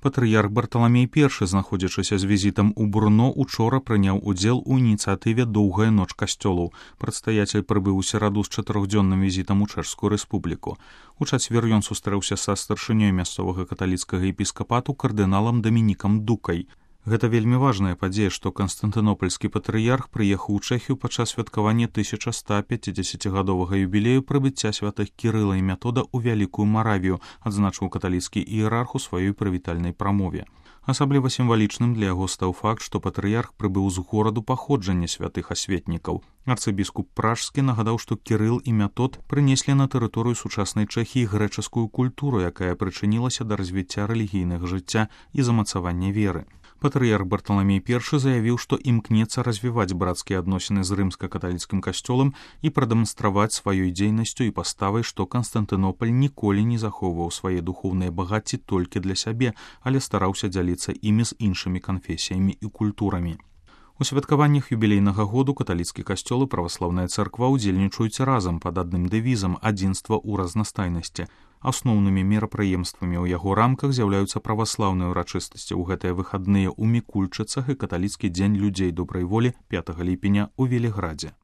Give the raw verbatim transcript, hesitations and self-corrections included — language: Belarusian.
Патрыярх Барталамей першы, знаходзячыся з візітам у Брно, учора прыняў удзел у ініцыятыве «Доўгая ноч касцёлаў». Прадстаяцель прыбыў у сераду з чатырохдзённым візітам у Чэшскую рэспубліку. У чацвер ён сустрэўся са старшынёй мясцовага каталіцкага епіскапату кардыналам Дамінікам Дукай. Гэта вельмі важная падзея, што канстантынопольскі патрыярх прыехаў у Чэхію падчас святкавання тысяча ста пяцідзесяцігадовага юбілею прыбыцця святых Кірыла і Метода ў Вялікую Маравію, адзначыў каталіцкі іерарх у сваёй прывітальнай прамове. Асабліва сімвалічным для яго стаў факт, што патрыярх прыбыў з гораду паходжання святых асветнікаў. Арцыбіскуп Пражскі нагадаў, што Кірыл і Метод прынеслі на тэрыторыю сучаснай Чэхіі грэчаскую культуру, якая прычынілася да развіцця рэлігійнага жыцця і замацавання веры. Патрыярх Барталамей першы заявіў, што імкнецца развіваць брацкія адносіны з рымска-каталіцкім касцёлам і прадэманстраваць сваёй дзейнасцю і паставай, што Канстантынополь ніколі не захоўваў свае духоўныя багацці толькі для сябе, але стараўся дзяліцца імі з іншымі канфесіямі і культурамі. У святкаваннях юбілейнага году каталіцкі касцёл і праваслаўная царква ўдзельнічаюць разам пад адным дэвізам «Адзінства ў разнастайнасці». Асноўнымі мерапрыемствамі ў яго рамках з'яўляюцца праваслаўныя ўрачыстасці ў гэтыя выхадныя ў Мікульчыцах і каталіцкі дзень людзей добрай волі пятага ліпеня ў Веліградзе.